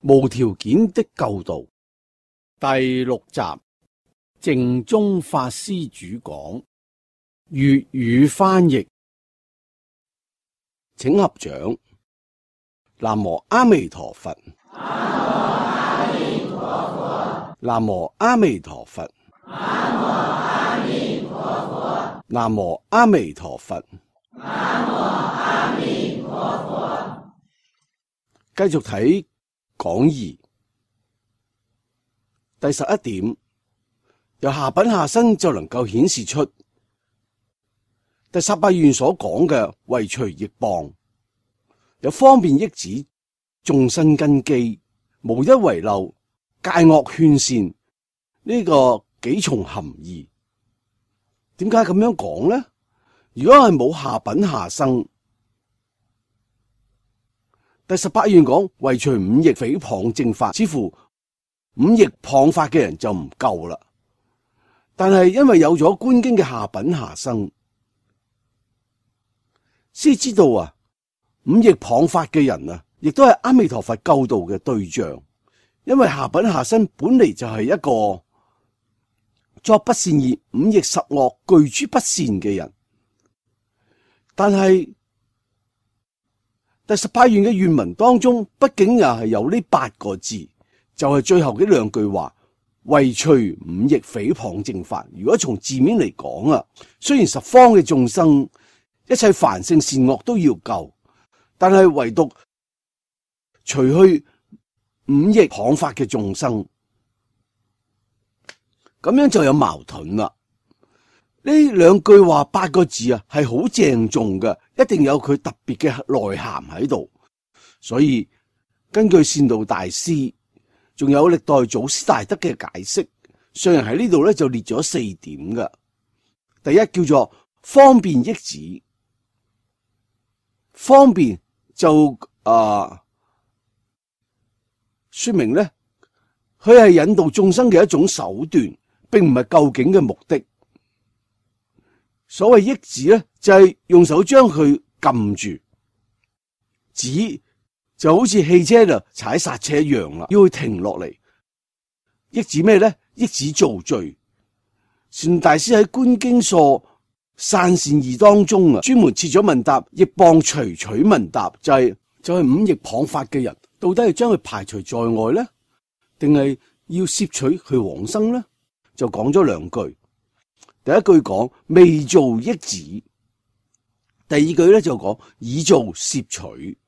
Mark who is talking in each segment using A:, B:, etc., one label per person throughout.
A: 無條件的救度第6集，淨宗法師主講，粵語翻譯。請合掌。南無阿彌陀佛。南無阿彌陀佛。南無阿彌陀佛。南無阿彌陀佛。南無阿彌陀佛。繼續睇講義第11點，由下品下生就能夠顯示出第18願所講嘅唯除役謗，有方便益止眾生根基，無一遺漏，戒惡勸善，呢個幾重含義。點解咁樣講呢？如果係冇下品下生，第18願講唯除五逆誹謗正法，似乎五逆謗法嘅人就唔夠啦。但係因為有咗觀經嘅下品下生，先知道啊，五逆謗法嘅人啊，亦都係阿彌陀佛救度嘅對象。因為下品下生本嚟就係一個作不善業、五逆十惡具諸不善嘅人，但係第18願嘅願文當中，畢竟又係有呢8個字，就係最後嘅2句話，唯除五逆誹謗正法。如果從字面嚟講啊，雖然十方嘅眾生一切凡聖善惡都要救，但係唯獨除去五逆謗法嘅眾生，咁樣就有矛盾啦。呢2句話8個字啊，係好鄭重嘅，一定有佢特別嘅內涵喺度。所以根據善導大師，仲有歷代祖師大德嘅解釋，上人喺呢度咧就列咗4點嘅。第一叫做方便益止，方便就說明咧，佢係引導眾生嘅一種手段，並唔係究竟嘅目的。所謂益止咧，就係用手將佢撳住，止就好似汽車就踩剎車一樣啦，要佢停落嚟。益止咩咧？益止造罪。善大師喺觀經疏散善義當中啊，專門設咗問答，役謗隨取問答，就係五逆謗法嘅人，到底係將佢排除在外咧，定係要攝取佢往生咧？就講咗2句。第一句講未做益止，第二句咧就講已做攝取，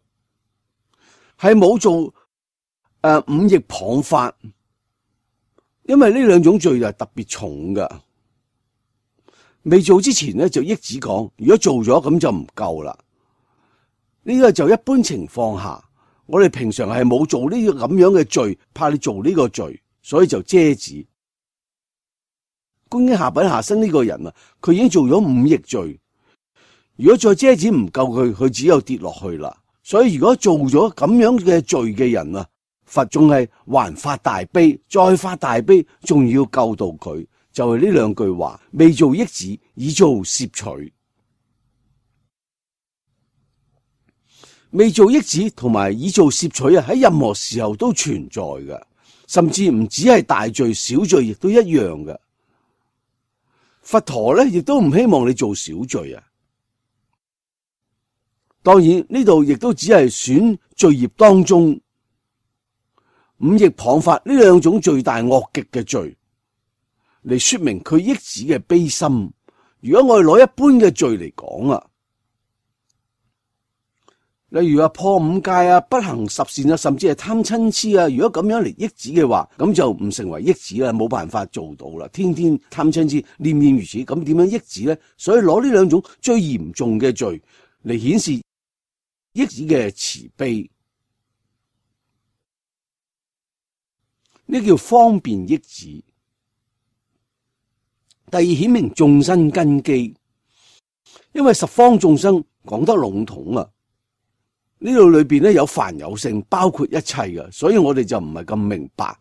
A: 係冇做五逆謗法，因為呢2種罪就係特別重噶。未做之前咧就益止講，如果做咗咁就唔夠啦。呢個就一般情況下，我哋平常係冇做呢個咁樣嘅罪，怕你做呢個罪，所以就遮止。觀經下品下生呢個人啊，佢已經做咗五逆罪，如果再遮止唔夠佢只有跌落去啦。所以如果做咗咁樣嘅罪嘅人啊，佛仲係還發大悲，再發大悲，仲要救度佢，就係呢2句話，未做益止，已做攝取。未做益止同埋已做攝取啊，喺任何時候都存在嘅，甚至唔止係大罪，小罪亦都一樣嘅。佛陀咧亦都唔希望你做小罪啊。當然呢度亦都只係選罪業當中五逆謗法呢2種罪大惡極嘅罪嚟說明佢益止嘅悲心。如果我哋攞一般嘅罪嚟講啊，例如破5戒啊、不行10善啊，甚至係貪嗔痴啊，如果咁樣嚟益止嘅話，咁就唔成為益止啦，冇辦法做到啦。天天貪嗔痴，念念如此，咁點樣益止咧？所以攞呢2種最嚴重嘅罪嚟顯示益止嘅慈悲，呢叫方便益止。第二，顯明眾生根基，因為十方眾生講得籠統啊。呢度裏邊咧有凡有聖，包括一切嘅，所以我哋就唔係咁明白。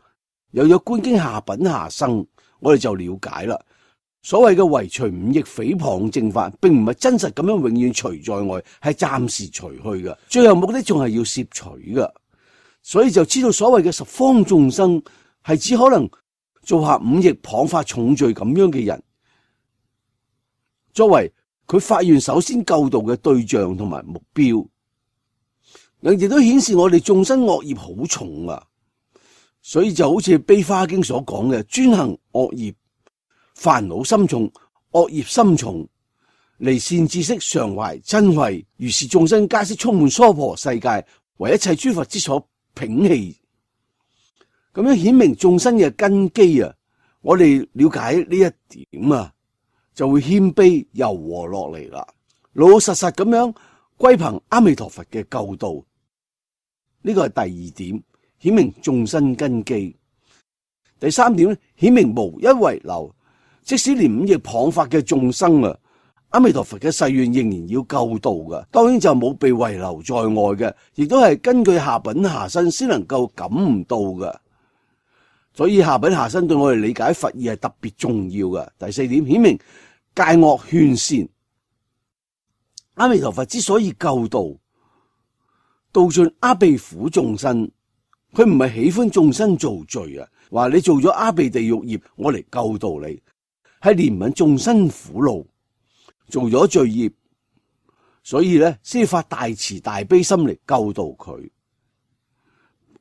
A: 有咗觀經下品下生，我哋就了解啦。所謂嘅唯除五逆誹謗正法，並唔係真實咁樣永遠除在外，係暫時除去嘅，最後目的仲係要攝取嘅。所以就知道所謂嘅十方眾生係只可能做下五逆謗法重罪咁樣嘅人，作為佢發願首先救度嘅對象同埋目標。亦都顯示我哋眾生惡業好重啊，所以就好似《悲華經》所講嘅，專行惡業，煩惱心重，惡業心重，離善知識，常懷瞋恚，如是眾生皆悉充滿娑婆世界，為一切諸佛之所摒棄。咁樣顯明眾生嘅根基啊，我哋了解呢一點啊，就會謙卑柔和落嚟啦，老老實實咁樣歸憑阿彌陀佛嘅救度。呢個係第二點，顯明眾生根基。第三點咧，顯明無一遺留，即使連五逆謗法嘅眾生啊，阿彌陀佛嘅誓願仍然要救度嘅，當然就冇被遺留在外嘅，亦都係根據下品下生先能夠感悟到嘅。所以下品下生對我哋理解佛義係特別重要嘅。第四點，顯明戒惡勸善，阿彌陀佛之所以救度，度盡阿鼻苦眾生，佢唔係喜歡眾生做罪啊，話你做咗阿鼻地獄業，我嚟救度你，係憐憫眾生苦惱，做咗罪業，所以咧先發大慈大悲心嚟救度佢。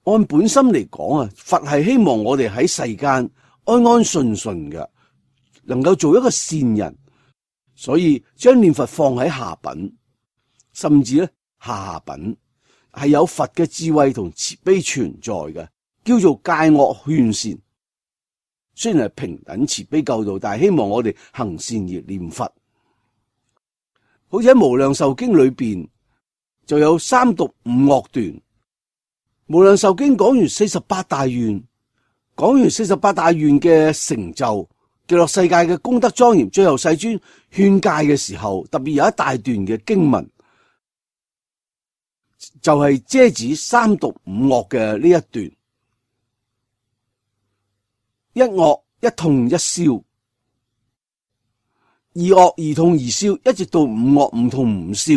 A: 按本心嚟講啊，佛係希望我哋喺世間安安順順嘅，能夠做一個善人，所以將念佛放喺下品，甚至咧下品。係有佛嘅智慧同慈悲存在嘅，叫做戒惡勸善。雖然係平等慈悲救度，但係希望我哋行善而念佛。好似喺無量壽經裏邊就有三毒五惡斷。無量壽經講完48大願，講完48大願嘅成就，極樂世界嘅功德莊嚴，最後世尊勸戒嘅時候，特別有一大段嘅經文，就係遮止三毒五惡嘅呢一段。一惡一痛一消，二惡二痛二消，一直到五惡五痛五消。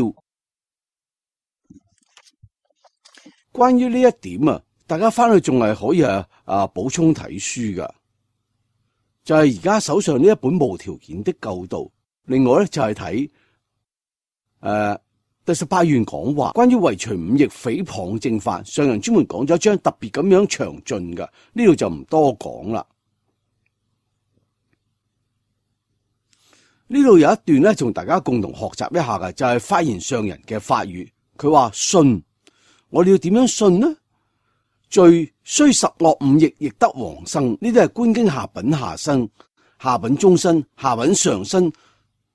A: 關於呢一點啊，大家翻去仲係可以補充睇書噶。就係而家手上呢一本無條件的救度。另外咧就係睇第18願講話，關於為除五逆誹謗正法，上人專門講咗一章特別咁樣詳盡噶，呢度就唔多講啦。呢度有一段咧，同大家共同學習一下嘅，就係發言上人嘅法語。佢話信，我哋要點樣信呢？罪雖十惡五逆，亦得往生。呢啲係觀經下品下生、下品中生、下品上生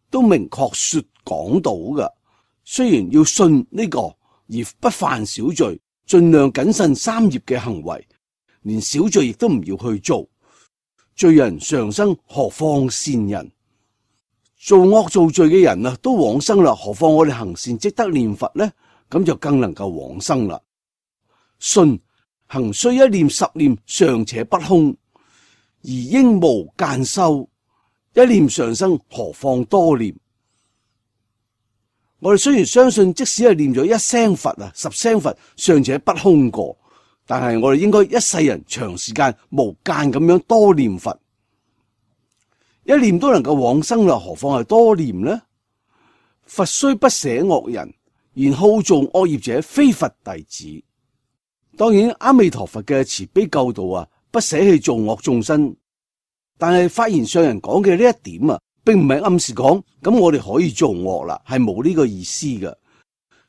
A: 都明確說講到嘅。雖然要信呢個而不犯小罪，盡量謹慎三業嘅行為，連小罪亦都唔要去做。罪人常生，何況善人？做惡做罪嘅人啊，都往生啦，何況我哋行善積德念佛呢？咁就更能夠往生啦。信行須一念十念尚且不空，而應無間修，一念常生，何況多念？我哋雖然相信，即使係念咗一聲佛啊、10聲佛，尚且不空過，但係我哋應該一世人長時間無間咁樣多念佛，一念都能夠往生啦，何況係多念呢？佛雖不捨惡人，然好做惡業者非佛弟子。當然阿彌陀佛嘅慈悲救度啊，不捨棄做惡眾生，但係發言上人講嘅呢一點啊，並唔係暗示講咁我哋可以做惡啦，係冇呢個意思嘅。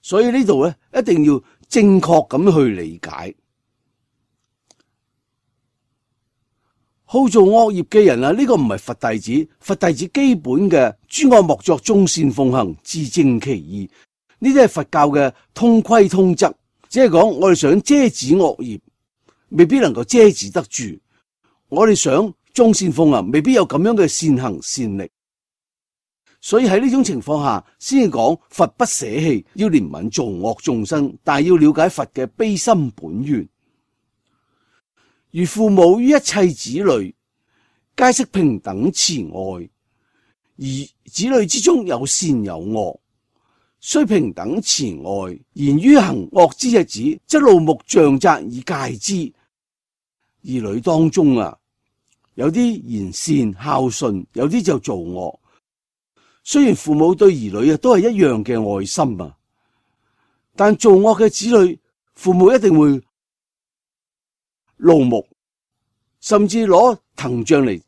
A: 所以呢度咧一定要正確咁去理解。好做惡業嘅人啊，呢個唔係佛弟子。佛弟子基本嘅諸惡莫作，眾善奉行，自正其意，呢啲係佛教嘅通規通則。只係講我哋想遮止惡業，未必能夠遮止得住；我哋想眾善奉行，未必有咁樣嘅善行善力。所以喺呢種情況下，先至講佛不捨棄，要憐憫做惡眾生，但係要了解佛嘅悲心本願。如父母於一切子女，皆悉平等慈愛，而子女之中有善有惡，雖平等慈愛，然於行惡之日子，則怒目杖責以戒之。兒女當中啊，有啲言善孝順，有啲就做惡。雖然父母對兒女啊都係一樣嘅愛心啊，但做惡嘅子女，父母一定會怒目，甚至攞藤杖嚟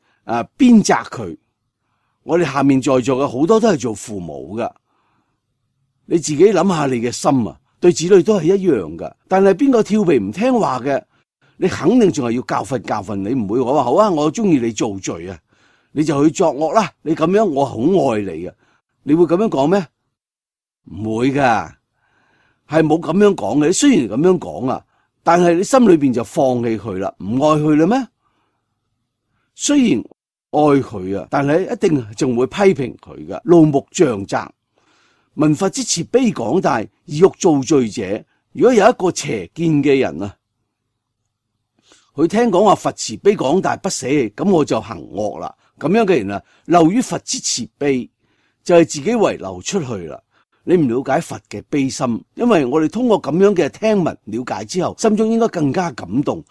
A: 鞭責佢。我哋下面在座嘅好多都係做父母噶，你自己諗下你嘅心啊，對子女都係一樣噶。但係邊個調皮唔聽話嘅，你肯定仲係要教訓，你唔會話好啊，我中意你做罪啊，你就去作惡啦。你咁樣我好愛你嘅，你會咁樣講咩？唔會噶，係冇咁樣講嘅。你雖然咁樣講啊，但係你心裏邊就放棄佢啦，唔愛佢啦咩？雖然愛佢啊，但係一定仲會批評佢噶，怒目杖責。聞佛之慈悲廣大，而欲造罪者，如果有一個邪見嘅人啊，佢聽講話佛慈悲廣大不捨，咁我就行惡啦。咁樣嘅人啊，漏於佛之慈悲，就係自己遺漏出去啦。你唔了解佛嘅悲心，因為我哋通過咁樣嘅聽聞了解之後，心中應該更加感動。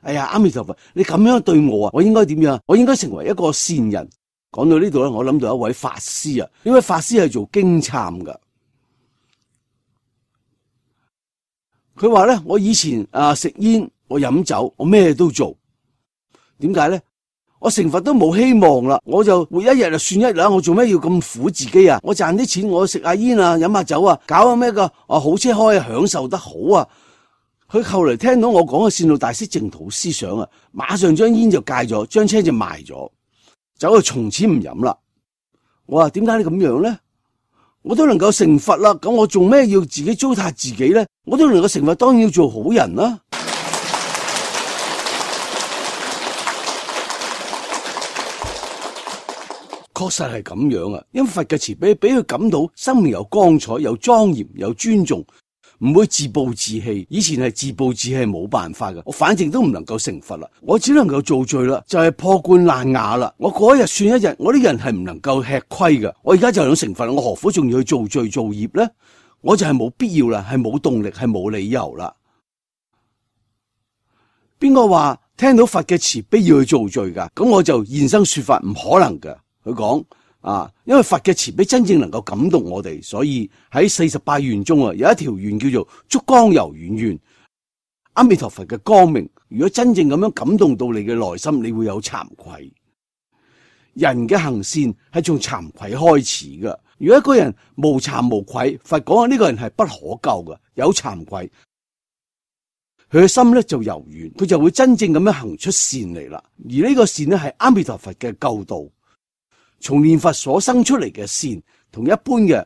A: 哎呀，阿彌陀佛，你咁樣對我啊，我應該點樣？我應該成為一個善人。講到呢度咧，我諗到一位法師啊，呢位法師係做經懺噶。佢話咧，我以前食煙，我飲酒，我咩都做。點解咧？我成佛都冇希望啦，我就活一日就算一日啦。我做咩要咁苦自己啊？我賺啲錢，我食下煙啊，飲下酒啊，搞下咩個好車開啊，享受得好啊。佢後嚟聽到我講嘅善導大師淨土思想啊，馬上將煙就戒咗，將車就賣咗，走就從此唔飲啦。我話點解你咁樣咧？我都能夠成佛啦，咁我做咩要自己糟蹋自己咧？我都能夠成佛，當然要做好人啦。確實係咁樣啊，因為佛嘅慈悲俾佢感到生命有光彩、有莊嚴、有尊重，唔會自暴自棄。以前係自暴自棄，冇辦法噶，我反正都唔能夠成佛啦，我只能夠做罪啦，就係破罐爛瓦啦。我過一日算一日，我呢個人係唔能夠吃虧噶。我而家就想成佛啦，我何苦仲要去做罪做業咧？我就係冇必要啦，係冇動力，係冇理由啦。邊個話聽到佛嘅慈悲要去做罪噶？咁我就現身說法，唔可能噶。佢講因為佛嘅慈悲真正能夠感動我哋，所以喺48願中啊，有一條願叫做燭光柔軟願。阿彌陀佛嘅光明，如果真正咁樣感動到你嘅內心，你會有慚愧。人嘅行善係從慚愧開始噶。如果一個人無慚無愧，佛講呢個人係不可救噶，有慚愧，佢嘅心咧就柔軟，佢就會真正咁樣行出善嚟啦。而呢個善咧係阿彌陀佛嘅救道。從念佛所生出嚟嘅善，同一般嘅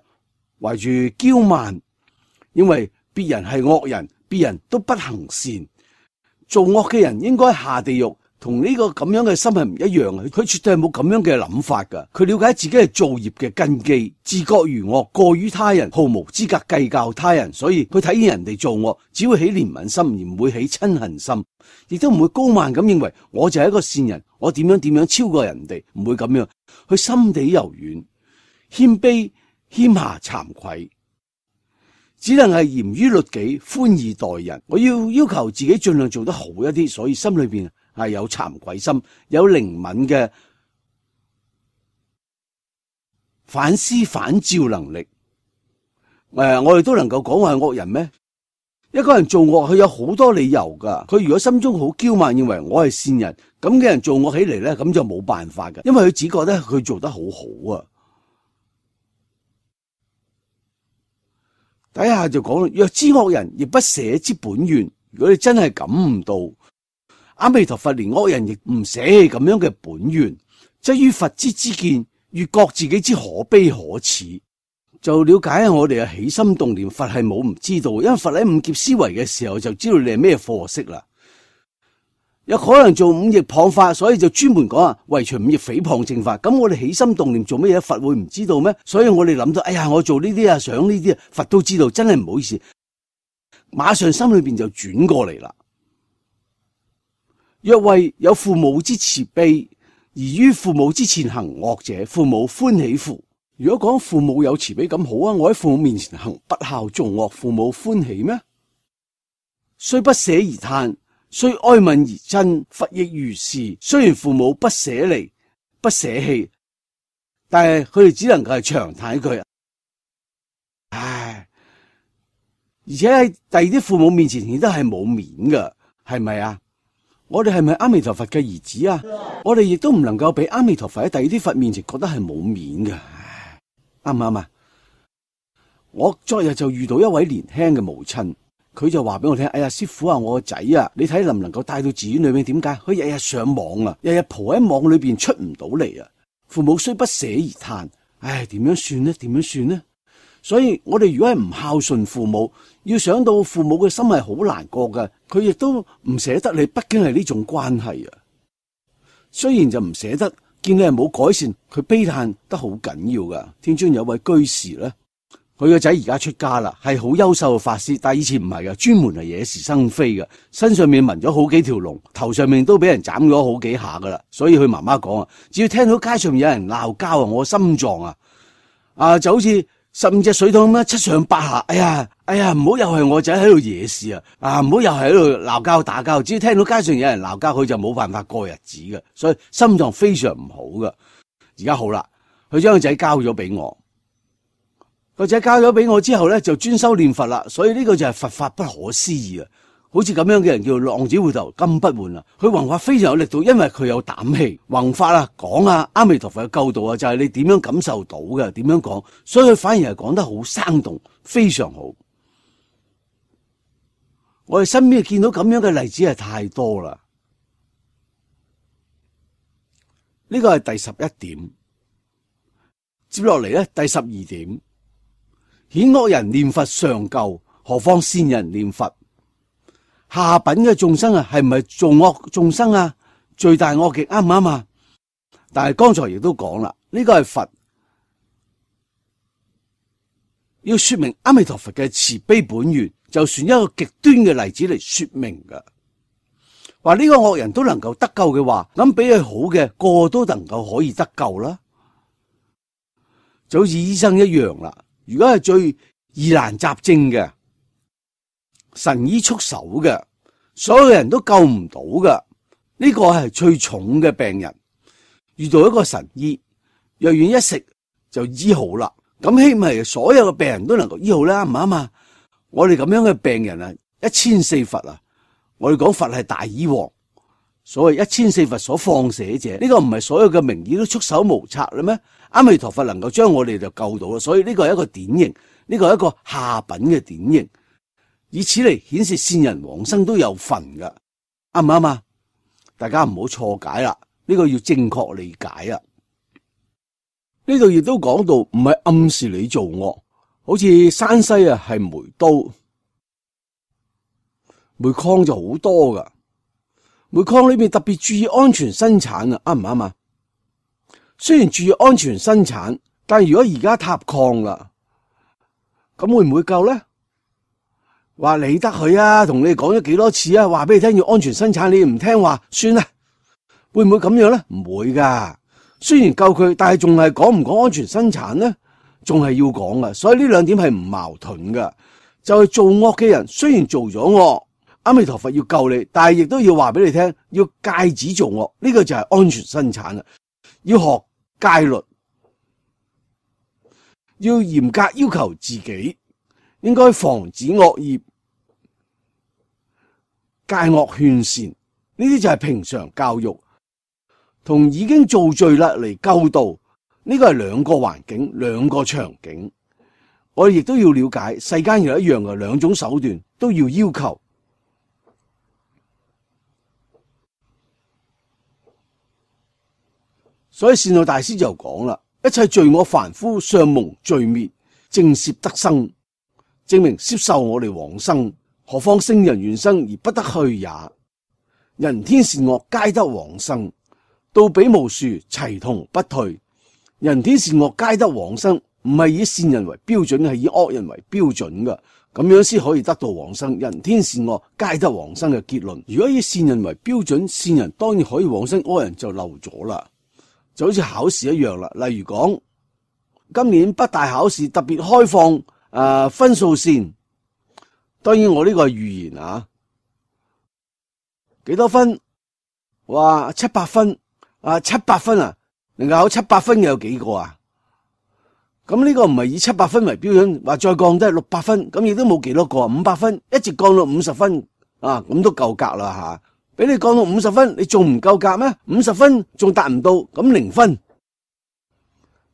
A: 懷住驕慢，因為別人係惡人，別人都不行善，做惡嘅人應該下地獄，同呢個咁樣嘅心係唔一樣嘅。佢絕對係冇咁樣嘅諗法噶。佢了解自己係造業嘅根基，自覺如惡，過於他人，毫無資格計較他人，所以佢睇見人哋做惡，只會起憐憫心，而唔會起親恨心，亦都唔會高慢咁認為我就係一個善人，我點樣超過人哋，唔會咁樣。佢心地柔軟、謙卑、謙下、慚愧，只能係嚴於律己、寬以待人。我要求自己盡量做得好一啲，所以心裏邊係有慚愧心，有靈敏嘅反思反照能力。我哋都能夠講話係惡人咩？一個人做惡，佢有好多理由噶。佢如果心中好驕慢，認為我係善人，咁嘅人做惡起嚟咧，咁就冇辦法噶，因為佢只覺得佢做得好好啊。底下就講，若知惡人亦不捨之本願。如果你真係感悟到阿彌陀佛連惡人亦唔捨棄咁樣嘅本願，則於佛之知見，越覺自己之可悲可恥。就了解我哋嘅起心動念，佛係冇唔知道，因為佛喺五劫思維嘅時候就知道你係咩貨色啦。有可能做五逆謗法，所以就專門講為除五逆誹謗正法。咁我哋起心動念做乜嘢，佛會唔知道咩？所以我哋諗到，哎呀，我做呢啲啊，想呢啲啊，佛都知道，真係唔好意思，馬上心裏邊就轉過嚟啦。若為有父母之慈悲，而於父母之前行惡者，父母歡喜乎？如果講父母有慈悲咁好啊，我喺父母面前行不孝造惡，父母歡喜咩？雖不捨而嘆，雖哀憫而親，佛亦如是。雖然父母不捨離、不捨棄，但係佢哋只能夠係長嘆一句，唉！而且喺第二啲父母面前亦都係冇面噶，係咪啊？我哋係咪阿彌陀佛嘅兒子啊？我哋亦都唔能夠俾阿彌陀佛喺第二啲佛面前覺得係冇面嘅，啱唔啱啊？我昨日就遇到一位年輕嘅母親，佢就話俾我聽：哎呀，師父啊，我個仔啊，你睇能唔能夠帶到寺院裏面？點解？佢日日上網啊，日日蒲喺網裏邊出唔到嚟啊！父母雖不捨而嘆，唉，點樣算呢？點樣算呢？所以我哋如果係唔孝順父母，要想到父母嘅心係好難過嘅，佢亦都唔捨得你，畢竟係呢種關係啊。雖然就唔捨得，見你係冇改善，佢悲嘆得好緊要噶。天津有位居士咧，佢個仔而家出家啦，係好優秀嘅法師，但係以前唔係嘅，專門係惹是生非嘅，身上面紋咗好幾條龍，頭上面都俾人斬咗好幾下噶啦。所以佢媽媽講啊，只要聽到街上面有人鬧交啊，我心臟就好似15隻水桶咁樣七上八下，哎呀，唔好又係我仔喺度惹事啊！唔好又係喺度鬧交打交，只要聽到街上有人鬧交，佢就冇辦法過日子嘅，所以心臟非常唔好噶。而家好啦，佢將個仔交咗俾我，個仔交咗俾我之後咧，就專修念佛啦。所以呢個就係佛法不可思議啊！好似咁樣嘅人叫浪子回頭金不換啊！佢弘法非常有力度，因為佢有膽氣弘法啊，講啊阿彌陀佛嘅救度啊，就係你點樣感受到嘅，點樣講，所以佢反而係講得好生動，非常好。我哋身邊見到咁樣嘅例子係太多啦。呢個係第11點，接落嚟咧，第12點，顯惡人念佛尚救，何況善人念佛？下品嘅眾生啊，係唔係造惡眾生啊？罪大惡極，啱唔啱啊？但係剛才亦都講啦，呢個係佛要說明阿彌陀佛嘅慈悲本願，就算一個極端嘅例子嚟說明噶。話呢個惡人都能夠得救嘅話，咁比佢好嘅個個都能夠可以得救啦。就好似醫生一樣啦，如果係最疑難雜症嘅，神醫束手嘅，所有人都救唔到嘅，呢個係最重嘅病人，遇到一個神醫，藥丸一食就醫好啦。咁希望所有嘅病人都能夠醫好啦，唔啱啊？我哋咁樣嘅病人啊，1004佛啊，我哋講佛係大醫王，所謂1004佛所放捨者，呢個唔係所有嘅名醫都束手無策啦咩？阿彌陀佛能夠將我哋就救到啦，所以呢個係一個典型，呢個係一個下品嘅典型。以此嚟顯示善人往生都有份噶，啱唔啱啊？大家唔好錯解啦，呢個要正確理解啊！呢度亦都講到，唔係暗示你做惡，好似山西啊係煤刀、煤礦就好多噶，煤礦裏面特別注意安全生產啊，啱唔啱啊？雖然注意安全生產，但如果而家塌礦啦，咁會唔會夠咧？話理得佢啊，同你講咗幾多次啊，話俾你聽要安全生產，你唔聽話，算啦，會唔會咁樣咧？唔會噶，雖然救佢，但係仲係講唔講安全生產咧？仲係要講噶，所以呢兩點係唔矛盾噶。就係做惡嘅人，雖然做咗惡，阿彌陀佛要救你，但係亦都要話俾你聽，要戒止做惡，呢個就係安全生產啦。要學戒律，要嚴格要求自己。應該防止惡業，戒惡勸善，呢啲就係平常教育，同已經造罪啦嚟救度，呢個係兩個環境，兩個場景。我哋亦都要了解，世間有一樣嘅兩種手段都要要求。所以善導大師就講啦，一切罪惡凡夫尚蒙罪滅，正攝得生。證明攝受我哋往生，何況聖人願生而不得去也。人天善惡皆得往生，到彼無殊，齊同不退。人天善惡皆得往生，唔係以善人為標準，係以惡人為標準噶，咁樣先可以得到往生。人天善惡皆得往生嘅結論，如果以善人為標準，善人當然可以往生，惡人就漏咗啦。就好似考試一樣啦，例如講今年北大考試特別開放分數線，當然我呢個係預言啊，幾多分？哇，700分，700分啊，能夠考700分嘅有幾個啊？咁呢個唔係以700分為標準，話再降低600分，咁亦都冇幾多個，500分一直降到50分啊，咁都夠格啦吓。俾你降到50分，你仲唔夠格咩？50分仲達唔到，咁0分。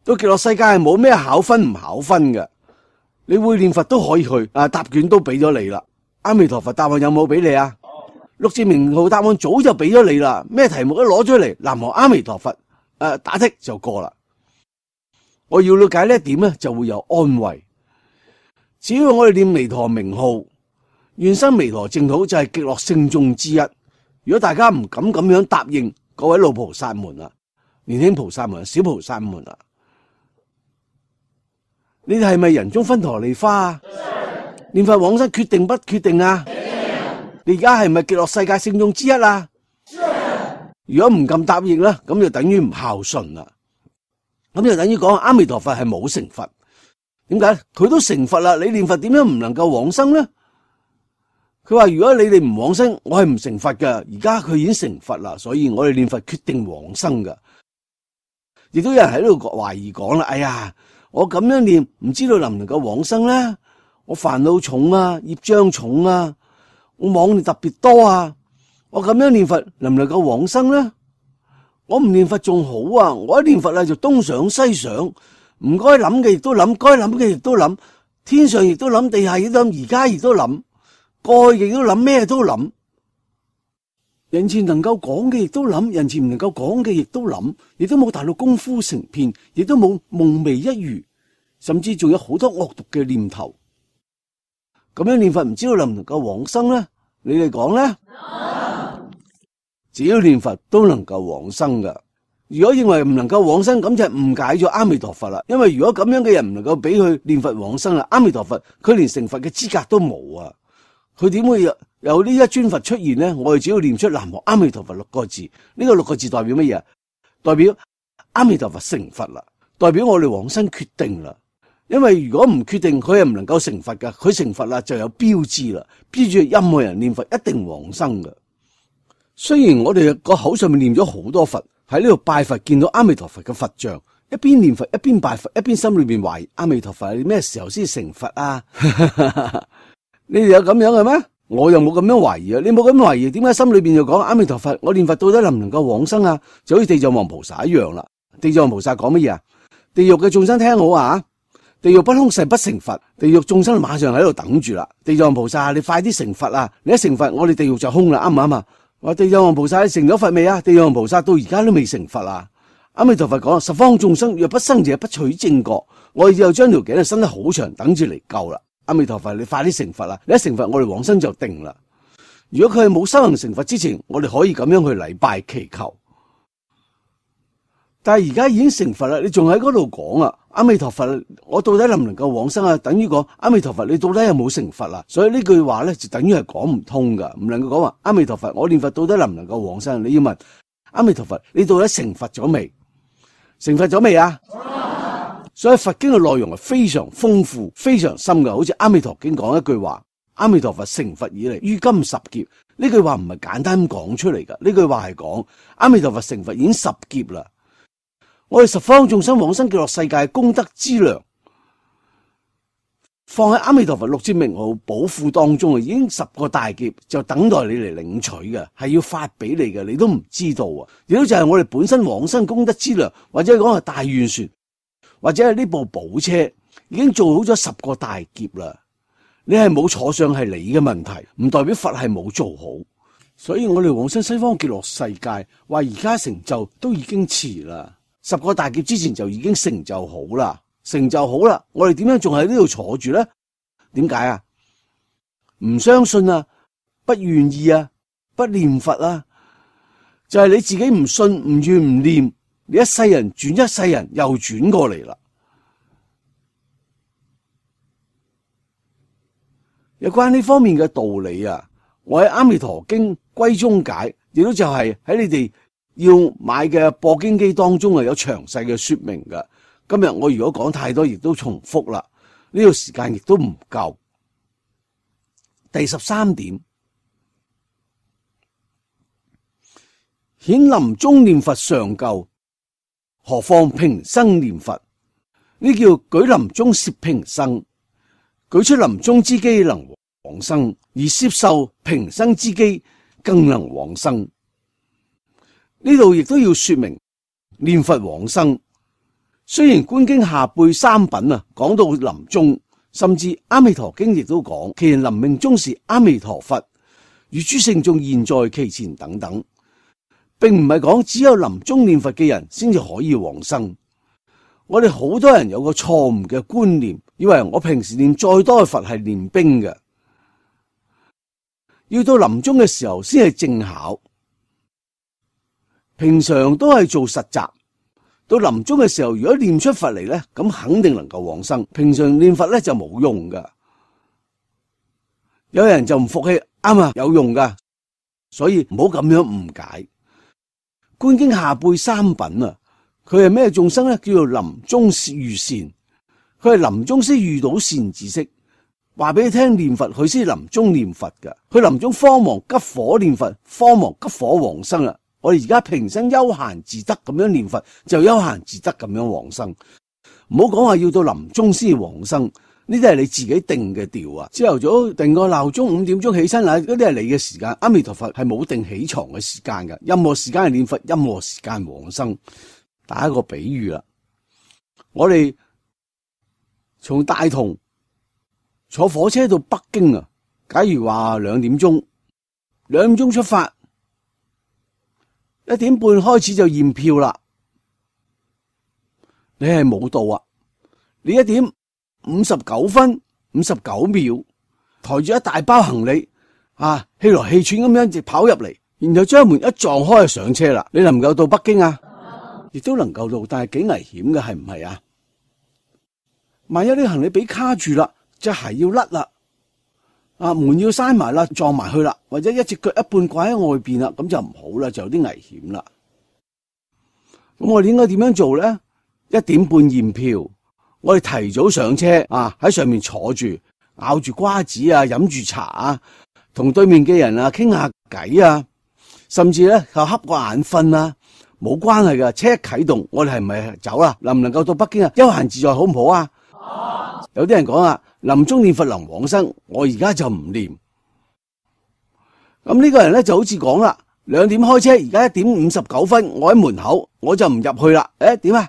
A: 到極樂世界係冇咩考分唔考分嘅，你會念佛都可以去，答卷都俾咗你啦。阿彌陀佛答案有冇俾你啊？陸志明號答案早就俾咗你啦，咩題目都攞出嚟，南無阿彌陀佛，打剔就過啦。我要了解呢一點咧，就會有安慰。只要我哋念彌陀名號，願生彌陀淨土就係極樂聖眾之一。如果大家唔敢咁樣答應，各位老菩薩們啊，年輕菩薩們、小菩薩們啊，你哋係咪人中分陀利花啊？念佛往生決定不決定啊？你而家係咪極樂世界聖眾之一啊？如果唔敢答應啦，咁就等於唔孝順啦。咁就等於講阿彌陀佛係冇成佛。點解？佢都成佛啦，你念佛點樣唔能夠往生呢？佢話如果你哋唔往生，我係唔成佛嘅。而家佢已經成佛啦，所以我哋念佛決定往生噶。亦都有人喺度懷疑講啦，哎呀，我咁樣念，唔知道能唔能夠往生呢？我煩惱重啊，業障重啊，我妄念特別多啊，我咁樣念佛能唔能夠往生呢？我唔念佛仲好啊，我一念佛就東想西想，唔該諗嘅亦都諗，該諗嘅亦都諗，天上亦都諗，地下亦都諗，而家亦都諗，過去亦都諗，咩都諗。人前能夠講嘅亦都諗，人前唔能夠講嘅亦都諗，亦都冇大到功夫成片，亦都冇夢寐一語，甚至仲有好多惡毒嘅念頭。咁樣念佛唔知道能唔能夠往生呢？你哋講呢？只要念佛都能夠往生噶。如果認為唔能夠往生，咁就係誤解咗阿彌陀佛啦。因為如果咁樣嘅人唔能夠俾佢念佛往生啦，阿彌陀佛佢連成佛嘅資格都冇啊！佢點會有呢一尊佛出現呢？我哋只要念出南無阿彌陀佛6個字，呢個6個字代表乜嘢？代表阿彌陀佛成佛啦，代表我哋往生決定啦。因為如果唔決定，佢係唔能夠成佛噶。佢成佛啦，就有標誌啦，標誌任何人念佛一定往生噶。雖然我哋個口上面念咗好多佛，喺呢度拜佛見到阿彌陀佛嘅佛像，一邊念佛一邊拜佛，一邊心裏邊懷疑阿彌陀佛你咩時候先成佛啊？你哋有咁樣嘅咩？我又冇咁樣懷疑啊！你冇咁樣懷疑，點解心裏邊就講阿彌陀佛？我念佛到底能唔能夠往生啊？就好似地藏王菩薩一樣啦。地藏王菩薩講乜嘢啊？地獄嘅眾生聽好啊！地獄不空誓不成佛，地獄眾生馬上喺度等住啦。地藏王菩薩，你快啲成佛啊！你一成佛，我哋地獄就空啦，啱唔啱啊？話地藏王菩薩你成咗佛未啊？地藏王菩薩到而家都未成佛啊！阿彌陀佛講，十方眾生若不生者，不取正覺。我哋就將條頸伸得好長，等住嚟救啦。阿彌陀佛，你快啲成佛啦！你一成佛，我哋往生就定啦。如果佢係冇修行成佛之前，我哋可以咁樣去禮拜祈求。但係而家已經成佛啦，你仲喺嗰度講啊？阿彌陀佛，我到底能唔能夠往生啊？等於講阿彌陀佛，你到底有冇成佛啊？所以呢句話咧就等於係講唔通噶，唔能夠講話阿彌陀佛，我念佛到底能唔能夠往生？你要問阿彌陀佛，你到底成佛咗未？成佛咗未啊？所以佛經嘅內容係非常豐富、非常深噶，好似阿彌陀經講一句話：阿彌陀佛成佛以嚟，於今十劫。呢句話唔係簡單咁講出嚟噶，呢句話係講阿彌陀佛成佛已經10劫啦。我哋十方眾生往生極樂世界功德之糧，放喺阿彌陀佛6字名號寶庫當中啊，已經10個大劫就等待你嚟領取嘅，係要發俾你嘅，你都唔知道啊！亦都就係我哋本身往生功德之糧，或者講係大願船，或者係呢部寶車已經做好咗10個大劫啦。你係冇坐上係你嘅問題，唔代表佛係冇做好。所以我哋往生西方極樂世界，話而家成就都已經遲啦。10個大劫之前就已經成就好啦，成就好啦，我哋點樣仲喺呢度坐住咧？點解啊？唔相信啊，不願意啊，不念佛啊，就係你自己唔信、唔願、唔念，你一世人轉一世人又轉過嚟啦。有關呢方面嘅道理啊，我喺《阿彌陀經歸宗解》亦都就係喺你哋要買嘅播經機當中有詳細嘅說明嘅。今日我如果講太多，亦都重複啦，呢個時間亦都唔夠。第13點，顯臨終念佛尚夠，何況平生念佛？呢叫舉臨終攝平生，舉出臨終之機能往生，而攝受平生之機更能往生。呢度亦都要說明念佛往生。雖然觀經下輩三品啊講到臨終，甚至阿彌陀經亦都講，其人臨命終時阿彌陀佛與諸聖眾現在其前等等，並唔係講只有臨終念佛嘅人先至可以往生。我哋好多人有個錯誤嘅觀念，以為我平時念再多嘅佛係練兵嘅，要到臨終嘅時候先係正考。平常都係做實習，到臨終嘅時候，如果念出佛嚟咧，咁肯定能夠往生。平常念佛咧就冇用噶。有人就唔服氣，啱啊，有用噶，所以唔好咁樣誤解。觀經下輩三品啊，佢係咩眾生咧？叫做臨終遇善，佢係臨終先遇到善知識，話俾你聽念佛，佢先臨終念佛噶。佢臨終慌忙急火念佛，慌忙急火往生啦。我哋而家平生悠閒自得咁樣念佛，就悠閒自得咁樣往生。唔好講話要到臨終先往生，呢啲係你自己定嘅調啊。朝頭早定個鬧鐘5點鐘起身啊，嗰啲係你嘅時間。阿彌陀佛係冇定起床嘅時間㗎，任何時間係念佛，任何時間往生。打一個比喻啦，我哋從大同坐火車到北京啊，假如話2點鐘出發，1點半開始就驗票啦。你係冇到啊！你1點59分59秒，抬住一大包行李啊，氣來氣喘咁樣直跑入嚟，然後將門一撞開就上車啦。你能唔能夠到北京啊？亦都能夠到，但係幾危險嘅，係唔係啊？萬一啲行李俾卡住啦，隻鞋要甩啦，啊門要閂埋啦，撞埋去啦，或者一隻腳一半掛喺外邊啦，咁就唔好啦，就有啲危險啦。咁我哋應該點樣做咧？1點半驗票，我哋提早上車啊，喺上面坐住，咬住瓜子啊，飲住茶啊，同對面嘅人啊傾下偈啊，甚至咧就瞌個眼瞓啊。冇關係噶，車一啟動，我哋係咪走啦？能唔能夠到北京啊？悠閒自在好唔好啊？有啲人講啊，臨終念佛能往生，我而家就唔念。咁呢個人咧就好似講啦，2點開車，而家1點59分，我喺門口，我就唔入去啦。點啊？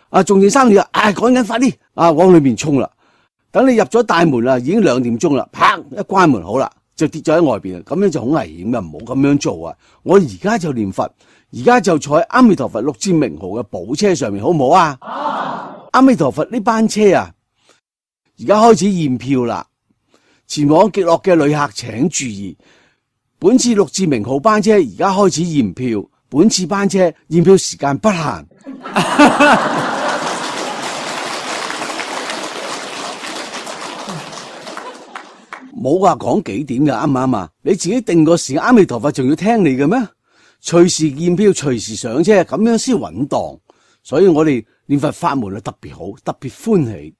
A: 啊，仲剩3秒啊！趕緊快啲啊，往裏面衝啦！等你入咗大門啦，已經2點鐘啦，啪一關門好啦，就跌咗喺外邊啦。咁樣就好危險噶，唔好咁樣做啊！我而家就念佛。而家就坐喺阿彌陀佛6字名號嘅寶車上面，好唔好啊？阿彌陀佛呢班車啊，而家開始驗票啦。前往極樂嘅旅客請注意，本次6字名號班車而家開始驗票，本次班車驗票時間不限。冇話講幾點嘅，啱唔啱啊？你自己定個時間，阿彌陀佛仲要聽你嘅咩？隨時驗票，隨時上車，咁樣先穩當。所以我哋念佛法門係特別好，特別歡喜。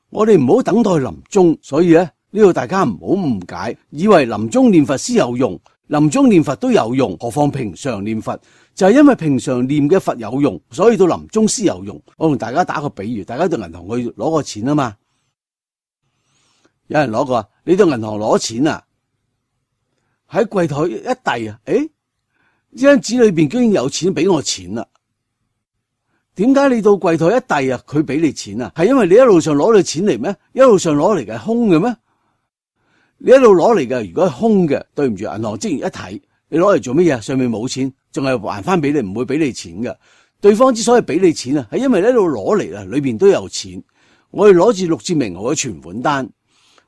A: 我哋唔好等待臨終，所以咧呢度大家唔好誤解，以為臨終念佛先有用，臨終念佛都有用，何況平常念佛？就係因為平常念嘅佛有用，所以到臨終先有用。我同大家打個比喻，大家到銀行去攞個錢啊嘛，有人攞過，你到銀行攞錢啊？喺櫃台一遞啊，呢張紙裏邊居然有錢俾我錢啦？點解你到櫃台一遞啊，佢俾你錢啊？係因為你一路上攞到錢嚟咩？一路上攞嚟嘅係空嘅咩？你一路攞嚟嘅，如果係空嘅，對唔住，銀行職員一睇，你攞嚟做乜嘢？上面冇錢，仲係還翻俾你，唔會俾你錢嘅。對方之所以俾你錢啊，係因為你一路攞嚟啊，裏邊都有錢。我哋攞住6字名號嘅存款單。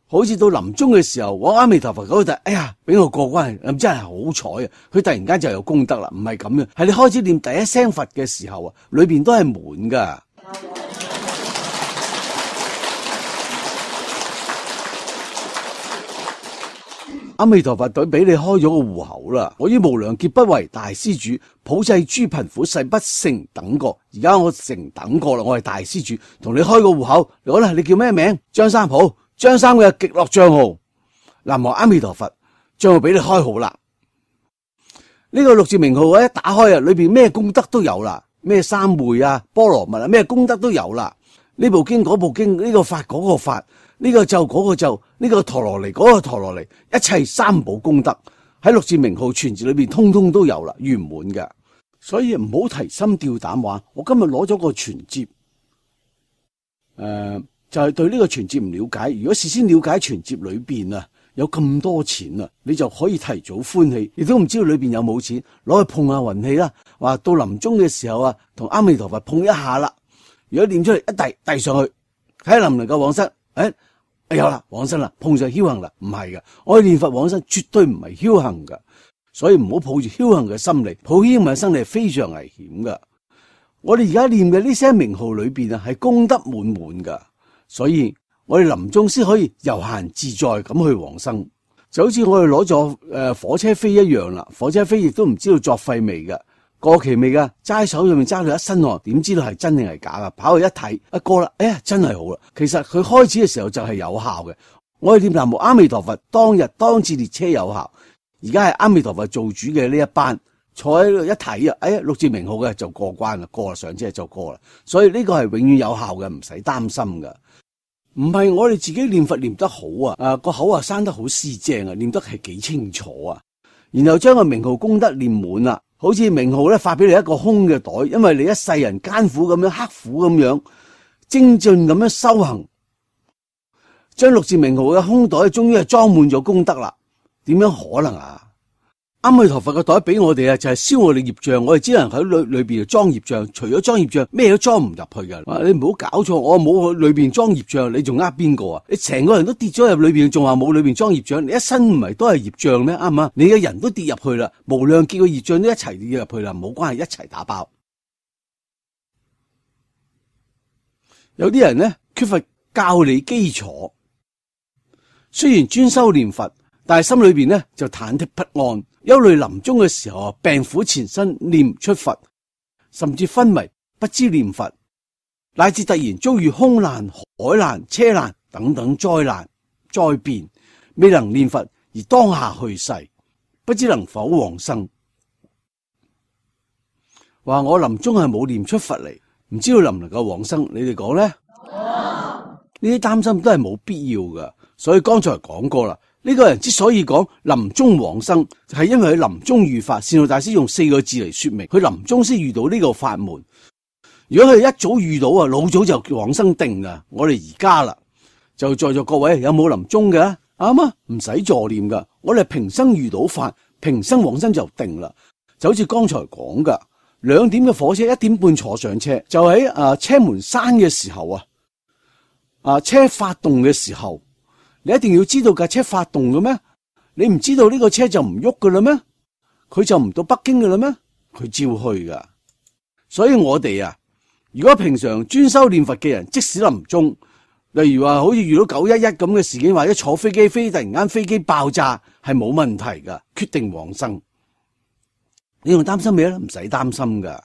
A: 好似到臨終嘅時候，我阿彌陀佛嗰度，哎呀，俾我過關，咁真係好彩啊！佢突然間就有功德啦，唔係咁樣，係你開始念第一聲佛嘅時候啊，裏邊都係滿噶。阿彌陀佛隊俾你開咗個戶口啦，我於無量劫不為大施主，普濟諸貧苦，誓不成等過。而家我成等過啦，我係大施主，同你開個戶口。好啦，你叫咩名？張三好，張三嘅極樂帳號。南無阿彌陀佛，帳號俾你開好啦。呢個六字名號一打開啊，裏邊咩功德都有啦，咩三昧啊、波羅蜜啊，咩功德都有啦。呢部經嗰部經，呢個法嗰個法，呢個咒嗰個咒，呢個陀羅尼嗰個陀羅尼，一切三寶功德喺六字名號全字裏邊通通都有啦，圓滿嘅。所以唔好提心吊膽話，我今日攞咗個存摺，就係對呢個存摺唔了解。如果事先了解存摺裏邊啊有咁多錢啊，你就可以提早歡喜，亦都唔知道裏邊有冇錢，攞去碰下運氣啦。話到臨終嘅時候啊，同阿彌陀佛碰一下啦。如果念出嚟一遞上去，睇下能唔能夠往生？有啦，往生啦，碰上僥倖啦，唔係嘅。我哋念佛往生絕對唔係僥倖嘅，所以唔好抱住僥倖嘅心理，抱僥倖嘅心理係非常危險嘅。我哋而家念嘅呢些名號裏邊啊，係功德滿滿噶，所以我哋臨終先可以悠閒自在咁去往生，就好似我哋攞咗火車飛一樣啦。火車飛亦都唔知道作廢未嘅。過期未噶，揸手上面揸到一身汗，點知道係真定係假噶？跑去一睇，一過啦，真係好啦。其實佢開始嘅時候就係有效嘅。我哋念南無阿彌陀佛，當次列車有效。而家係阿彌陀佛做主嘅呢一班，坐喺度一睇啊，六字名號嘅就過關啦，過啦上車就過啦。所以呢個係永遠有效嘅，唔使擔心噶。唔係我哋自己念佛念得好啊，個口生得好絲正啊，念得係幾清楚啊，然後將個名號功德念滿啦。好似名號咧發俾你一個空嘅袋，因為你一世人艱苦咁樣刻苦咁樣精進咁樣修行，將六字名號嘅空袋終於係裝滿咗功德啦。點樣可能啊？阿彌陀佛嘅袋俾我哋啊，就係燒我哋業障，我哋只能喺裏邊裝業障，除咗裝業障，咩都裝唔入去㗎。你唔好搞錯，我冇去裏邊裝業障，你仲呃邊個啊？你成個人都跌咗入裏邊，仲話冇裏邊裝業障，你一身唔係都係業障咩？啱唔啱？你嘅人都跌入去啦，無量劫嘅業障都一齊跌入去啦，冇關係，一齊打包。有啲人咧缺乏教理基礎，雖然專修念佛，但係心裏邊咧就忐忑不安。憂慮臨終嘅時候，病苦纏身，念唔出佛，甚至昏迷，不知念佛，乃至突然遭遇空難、海難、車難等等災難災變，未能念佛而當下去世，不知能否往生。話我臨終係冇念出佛嚟，唔知道能唔能夠往生。你哋講呢？呢啲擔心都係冇必要噶。所以剛才講過啦。呢個人之所以講臨終往生，係因為佢臨終遇法。善導大師用4個字嚟說明，佢臨終先遇到呢個法門。如果佢一早遇到啊，老早就往生定噶。我哋而家啦，就在座各位有冇臨終嘅？啱啊，唔使助念噶。我哋平生遇到法，平生往生就定啦。就好似剛才講噶，2點嘅火車1點半坐上車，就喺車門閂嘅時候車發動嘅時候。你一定要知道架車發動嘅咩？你唔知道呢個車就唔喐噶啦咩？佢就唔到北京噶啦咩？佢照去噶。所以我哋如果平常專修念佛嘅人，即使臨終，例如話好似遇到911咁嘅事件，或者坐飛機飛突然間飛機爆炸，係冇問題噶，決定往生。你仲擔心咩咧？唔使擔心噶。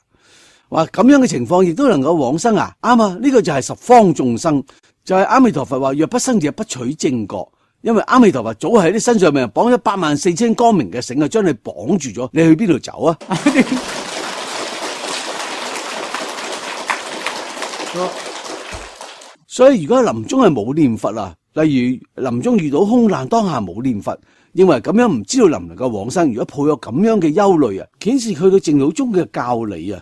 A: 話咁樣嘅情況亦都能夠往生啊？啱啊！呢個就係十方眾生。就係阿彌陀佛話，若不生者不取正覺，因為阿彌陀佛早喺你身上面綁咗84000光明嘅繩將你綁住咗，你去邊度走啊？所以如果臨終係冇念佛啊，例如臨終遇到空難當下冇念佛，認為咁樣唔知道能唔能夠往生，如果抱有咁樣嘅憂慮啊，顯示佢對淨土宗嘅教理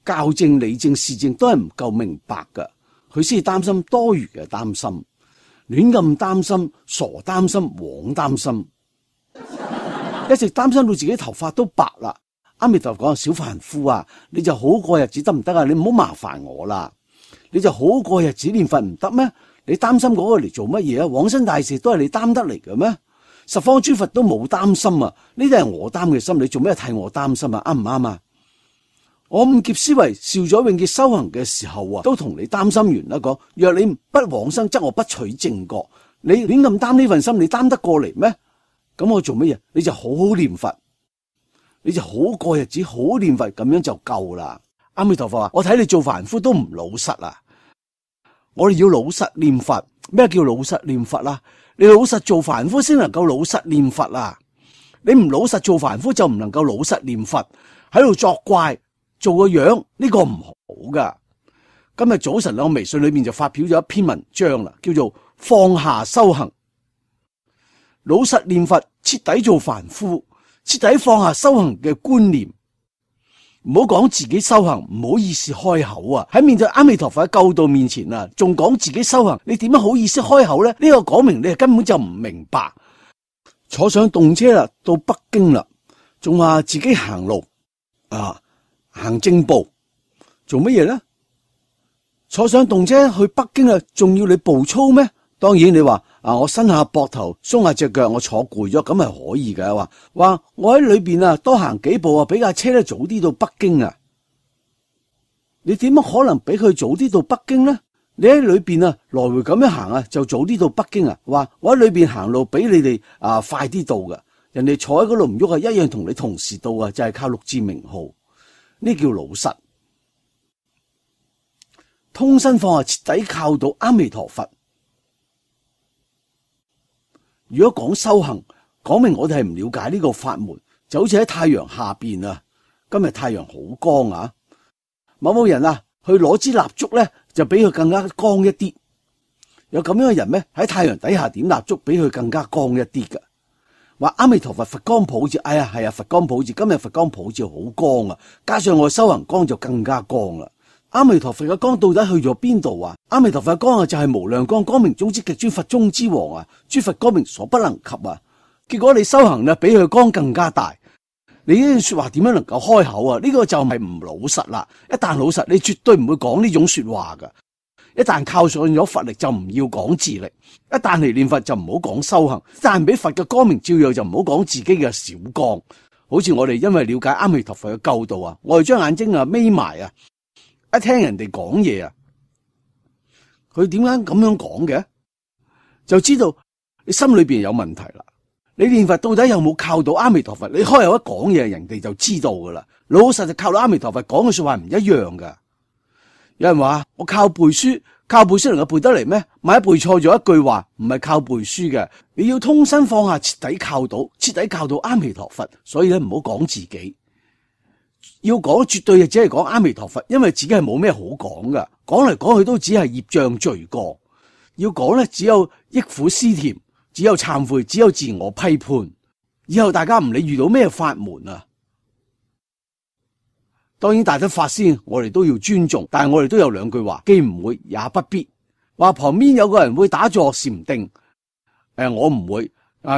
A: 教正理正事正都係唔夠明白噶。佢先擔心多餘嘅擔心，亂咁擔心，傻擔心，枉擔心，一直擔心到自己頭髮都白啦。阿彌陀佛講，小凡夫啊，你就好過日子得唔得啊？你唔好麻煩我啦，你就好過日子念佛唔得咩？你擔心嗰個嚟做乜嘢啊？往生大事都係你擔得嚟嘅咩？十方諸佛都冇擔心啊，呢啲係我擔嘅心，你做咩替我擔心啊？啱唔啱啊？我五劫思維少咗永劫修行嘅時候都同你擔心完啦。講若你不往生，則我不取正覺。你亂咁擔呢份心，你擔得過嚟咩？咁我做乜嘢？你就好好念佛，你就好過日子，好好念佛，咁樣就夠啦。阿彌陀佛話：我睇你做凡夫都唔老實啊！我哋要老實念佛。咩叫老實念佛啊？你老實做凡夫先能夠老實念佛啊！你唔老實做凡夫就唔能夠老實念佛，喺度作怪做個樣，呢個唔好噶。今日早晨我微信裏面就發表咗一篇文章啦，叫做放下修行，老實念佛，徹底做凡夫，徹底放下修行嘅觀念。唔好講自己修行，唔好意思開口啊！喺面對阿彌陀佛嘅救度面前啊，仲講自己修行，你點樣好意思開口呢？呢個講明你根本就唔明白。坐上動車啦，到北京啦，仲話自己行路啊，行正步，做乜嘢呢？坐上動車去北京啦，仲要你步操咩？當然你話我伸下膊頭，鬆下隻腳，我坐攰咗，咁係可以嘅。話我喺裏邊啊，多行幾步啊，俾架車咧早啲到北京啊。你點樣可能俾佢早啲到北京呢？你喺裏邊啊，來回咁樣行啊，就早啲到北京啊。話我喺裏邊行路比你哋快啲到噶，人哋坐喺嗰度唔喐啊，一樣同你同時到啊，就係靠六字名號，呢叫老實。通身放下，徹底靠到阿彌陀佛。如果講修行，講明我哋係唔了解呢個法門，就好似喺太陽下邊啊，今日太陽好光啊，某人啊去攞支蠟燭咧，就比佢更加光一啲。有咁樣嘅人咩？喺太陽底下點蠟燭，比佢更加光一啲噶。話阿彌陀佛，佛光普照，哎呀係啊，佛光普照，今日佛光普照好光啊，加上我修行光就更加光啦。阿彌陀佛嘅光到底去咗邊度啊？阿彌陀佛嘅光啊，就係無量光，光明中之極，尊佛中之王啊，諸佛光明所不能及啊。結果你修行啊，比佢光更加大，你呢啲說話點樣能夠開口啊？呢個就係唔老實啦。一旦老實，你絕對唔會講呢種說話噶。一旦靠上咗佛力，就唔要講自力；一旦嚟念佛，就唔好講修行；一旦俾佛嘅光明照耀，就唔好講自己嘅小光。好似我哋因為了解阿彌陀佛嘅救度啊，我哋將眼睛啊眯埋啊，一聽人哋講嘢啊，佢點解咁樣講嘅，就知道你心裏邊有問題啦。你念佛到底有冇靠到阿彌陀佛？你開口一講嘢，人哋就知道噶啦。老實就靠到阿彌陀佛，講嘅說話唔一樣噶。有人話我靠背書，靠背書能夠背得嚟咩？萬一背錯咗一句話，唔係靠背書嘅。你要通身放下，徹底靠到阿彌陀佛。所以咧，唔好講自己。要講絕對只係講阿彌陀佛，因為自己係冇咩好講噶，講嚟講去都只係業障罪過。要講咧，只有憶苦思甜，只有懺悔，只有自我批判。以後大家唔理遇到咩法門啊，當然大德法師我哋都要尊重，但係我哋都有兩句話，既唔會也不必。話旁邊有個人會打坐禪定，我唔會，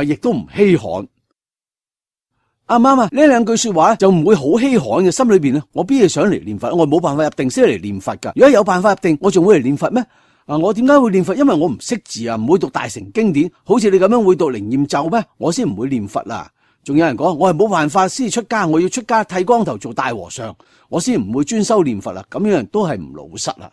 A: 亦都唔稀罕。啱唔啱啊？呢兩句說話就唔會好稀罕嘅，心裏邊咧，我邊係想嚟念佛？我冇辦法入定先嚟念佛噶。如果有辦法入定，我仲會嚟念佛咩？我點解會念佛？因為我唔識字啊，唔會讀大乘經典，好似你咁樣會讀靈驗咒咩？我先唔會念佛啦。仲有人講我係冇辦法先出家，我要出家剃光頭做大和尚，我先唔會專修念佛啦。咁樣人都係唔老實啦。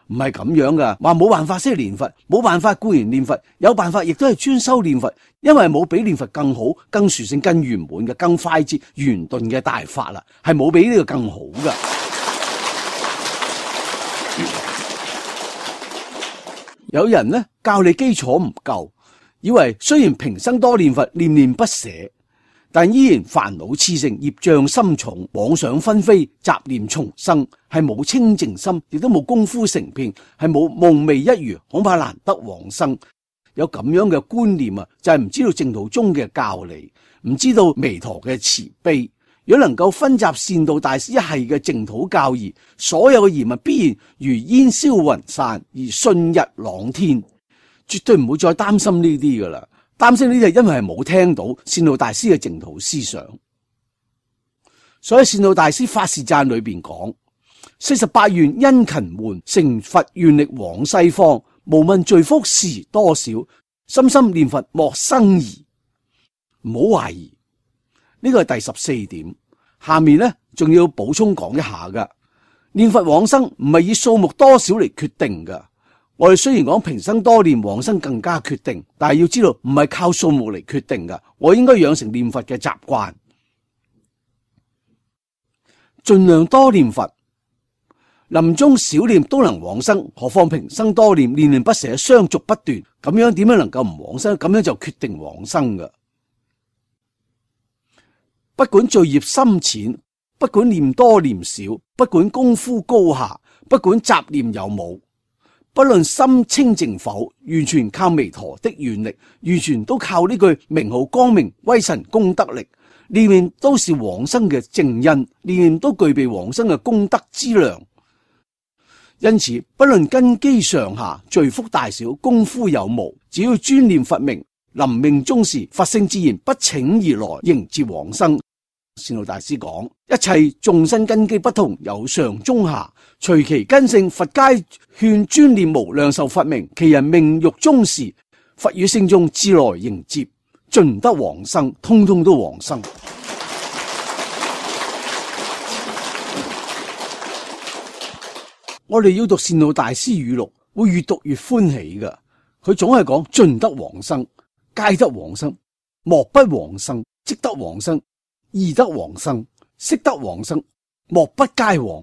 A: 唔係咁樣噶，話冇辦法先嚟念佛，冇辦法固然念佛，有辦法亦都係專修念佛，因為冇比念佛更好、更殊勝、更圓滿嘅、更快捷、圓頓嘅大法啦，係冇比呢個更好噶。有人呢教你基礎唔夠，以為雖然平生多念佛，念念不捨，但依然煩惱熾盛，業障深重，妄想紛飛，雜念叢生，係冇清淨心，亦都冇功夫成片，係冇夢寐一如，恐怕難得往生。有咁樣嘅觀念啊，就係唔知道淨土宗嘅教理，唔知道彌陀嘅慈悲。如果能夠分集善導大師一系嘅淨土教義，所有嘅疑問必然如煙消雲散，而信日朗天，絕對唔會再擔心呢啲噶啦。擔心呢啲係因為係冇聽到善導大師嘅淨土思想。所以善導大師法事讚裏邊講：48願殷勤換，成佛願力往西方。無問罪福時多少，深深念佛莫生疑。唔好懷疑。呢個係第14點。下面呢仲要補充講一下噶，念佛往生唔係以數目多少嚟決定噶。我哋雖然講平生多念，往生更加決定，但係要知道唔係靠數目嚟決定㗎。我應該養成念佛嘅習慣，盡量多念佛。臨終少念都能往生，何況平生多念，念念不捨，相續不斷，咁樣點樣能夠唔往生？咁樣就決定往生㗎。不管罪孽深淺，不管念多念少，不管功夫高下，不管雜念有冇，不論心清淨否，完全靠彌陀的願力，完全都靠呢句名號光明威神功德力，念念都是往生嘅正因，念念都具備往生嘅功德之量。因此，不論根基上下、罪福大小、功夫有無，只要專念佛名，臨命終時，佛性自然不請而來迎接往生。善導大師講：一切眾生根基不同，有上中下，隨其根性，佛皆勸專念無量壽佛名。其人命欲終時，佛與聖眾自來迎接，盡得往生，通通都往生。我哋要讀善導大師語錄，會越讀越歡喜㗎。佢總係講盡得往生，皆得往生，莫不往生，即得往生，易得往生，識得往生，莫不皆往，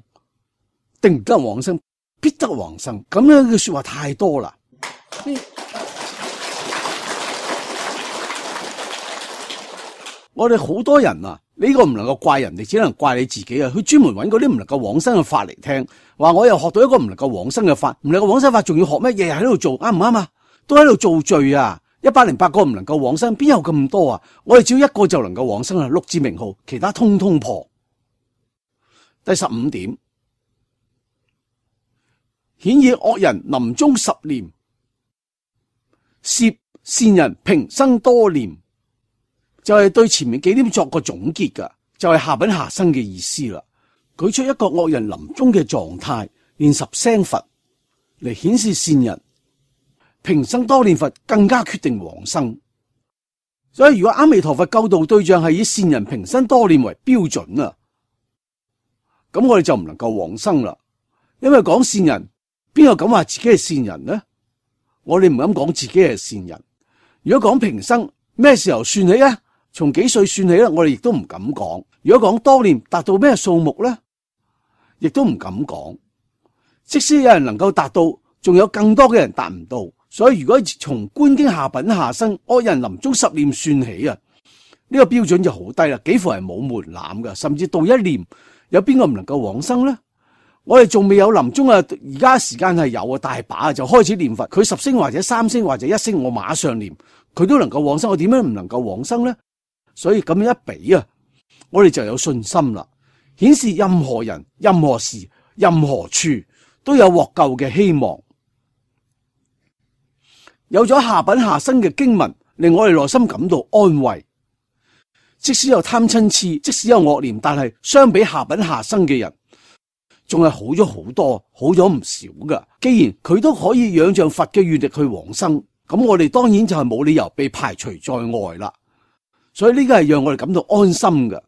A: 定得往生，必得往生。咁樣嘅說話太多啦。我哋好多人啊，呢個唔能夠怪人哋，只能怪你自己啊！佢專門揾嗰啲唔能夠往生嘅法嚟聽，話我又學到一個唔能夠往生嘅法，唔能夠往生法仲要學咩？日日喺度做，啱唔啱啊？都喺度做罪啊！108個唔能夠往生，邊有咁多啊？我哋只要一個就能夠往生啊！6字名號，其他通通破。第15點，顯以惡人臨終10念，攝善人平生多念。就係對前面幾點作個總結㗎，就係下品下生嘅意思啦。舉出一個惡人臨終嘅狀態，念10聲佛嚟顯示善人平生多念佛，更加決定往生。所以如果阿彌陀佛救度對象係以善人平生多念為標準啊，咁我哋就唔能夠往生啦。因為講善人，邊個敢話自己係善人呢？我哋唔敢講自己係善人。如果講平生，咩時候算起啊？從幾歲算起咧？我哋亦都唔敢講。如果講多念達到咩數目咧，亦都唔敢講。即使有人能夠達到，仲有更多嘅人達唔到。所以如果從觀經下品下生惡人臨終10念算起啊，呢個標準就好低啦，幾乎係冇門檻噶。甚至到1念，有邊個唔能夠往生咧？我哋仲未有臨終啊，而家時間係有啊，大把啊，就開始念佛。佢10聲或者3聲或者1聲，我馬上念，佢都能夠往生。我點樣唔能夠往生咧？所以咁樣一比啊，我哋就有信心啦，顯示任何人、任何時、任何處都有獲救嘅希望。有咗下品下生嘅經文，令我哋內心感到安慰。即使有貪嗔癡，即使有惡念，但係相比下品下生嘅人，仲係好咗好多，好咗唔少噶。既然佢都可以仰仗佛嘅願力去往生，咁我哋當然就係冇理由被排除在外啦。所以呢個係讓我哋感到安心嘅。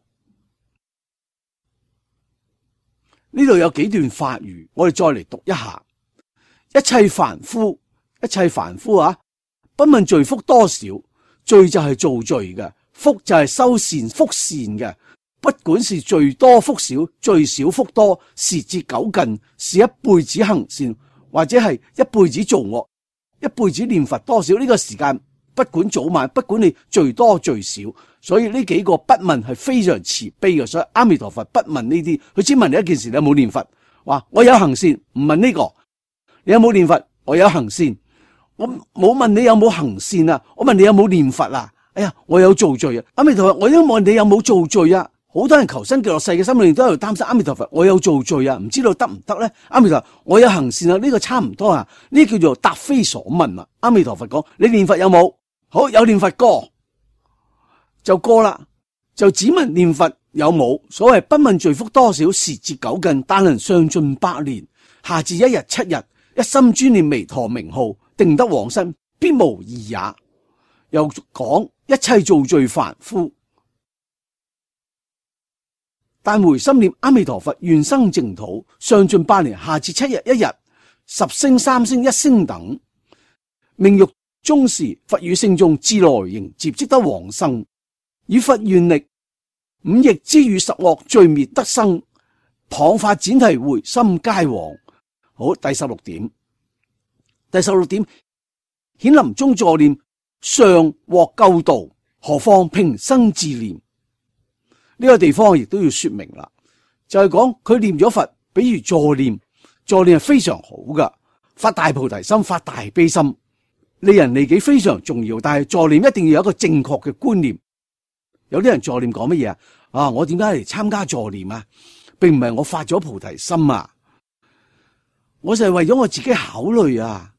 A: 呢度有幾段法語，我哋再嚟讀一下。一切凡夫啊，不問罪福多少，罪就係做罪嘅，福就係修善福善嘅。不管是罪多福少，罪少福多，時節久近，是一輩子行善，或者係一輩子做惡，一輩子念佛多少，呢個時間不管早晚，不管你罪多罪少，所以呢幾個不問係非常慈悲嘅。所以阿彌陀佛不問呢啲，佢只問你一件事：你有冇念佛？話我有行善，唔問呢個。你有冇念佛？我有行善。我冇問你有冇行善啊，我問你有冇念佛啊？哎呀，我有做罪啊！阿彌陀佛，我應該問你有冇做罪啊？好多人求生極樂世嘅心裏都喺度擔心，阿彌陀佛，我有做罪啊，唔知道得唔得咧？阿彌陀佛，我有行善啊，呢個差唔多啊，呢叫做答非所問啊。阿彌陀佛講，你念佛有冇？好，有念佛過就過啦，就只問念佛有冇。所謂不問罪福多少，時節久近，但能上盡百年，下至1日7日，一心專念彌陀名號，定得往生，必無異也。又講一切造罪凡夫，但回心念阿彌陀佛，願生淨土，上盡8年，下至7日1日， 10聲、3聲、1聲等，命欲終時，佛與聖眾自來迎接，即得往生。以佛願力，五逆之語十惡罪滅得生，謗法闡提回心皆往。好，第16點。第16點，顯臨終助念尚獲救度，何況平生自念？呢個地方亦都要說明啦，就係講佢念咗佛，比如助念係非常好噶，發大菩提心，發大悲心，利人利己非常重要，但係助念一定要有一個正確嘅觀念。有啲人助念講乜嘢啊？我點解嚟參加助念啊？並唔係我發咗菩提心啊，我就係為咗我自己考慮啊。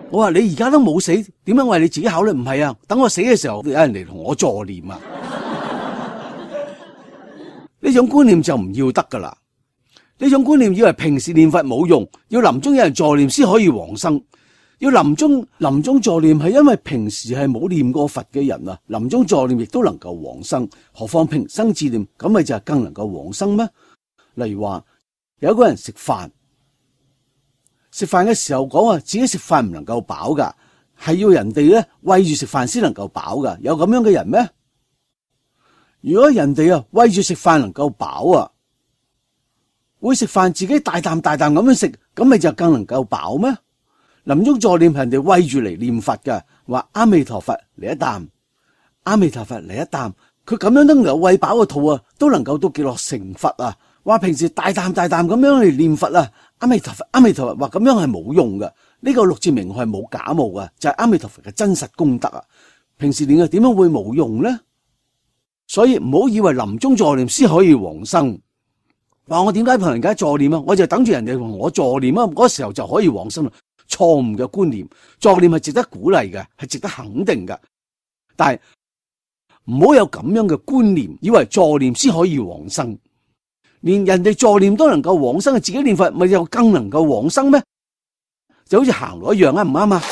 A: 我話你而家都冇死，點解為你自己考慮？唔係啊，等我死嘅時候有人嚟同我助念啊。呢種觀念就唔要得噶啦。呢種觀念以為平時念佛冇用，要臨終有人助念先可以往生。要臨終助念係因為平時係冇念過佛嘅人啊，臨終助念亦都能夠往生，何況平生自念，咁咪就係更能夠往生咩？例如話有一個人食飯嘅時候講話自己食飯唔能夠飽噶，係要人哋咧餵住食飯先能夠飽噶，有咁樣嘅人咩？如果人哋啊餵住食飯能夠飽啊，會食飯自己大啖大啖咁樣食，咁咪就更能夠飽咩？臨終助念係人哋餵住嚟念佛嘅，話阿彌陀佛嚟一啖，阿彌陀佛嚟一啖，佢咁樣都能夠餵飽個肚啊，都能夠到極樂成佛啊！話平時大啖大啖咁樣嚟念佛啊，阿彌陀佛，阿彌陀佛，話咁樣係冇用嘅。呢個六字名號係冇假冒嘅，就係阿彌陀佛嘅真實功德啊！平時念嘅點樣會冇用呢？所以唔好以為臨終助念先可以往生。話我點解同人家助念啊？我就等住人哋同我助念啊，嗰時候就可以往生啦。錯誤嘅觀念，助念係值得鼓勵嘅，係值得肯定嘅。但係唔好有咁樣嘅觀念，以為助念先可以往生，連人哋助念都能夠往生，自己念佛咪就更能夠往生咩？就好似行路一樣啊，唔啱啊？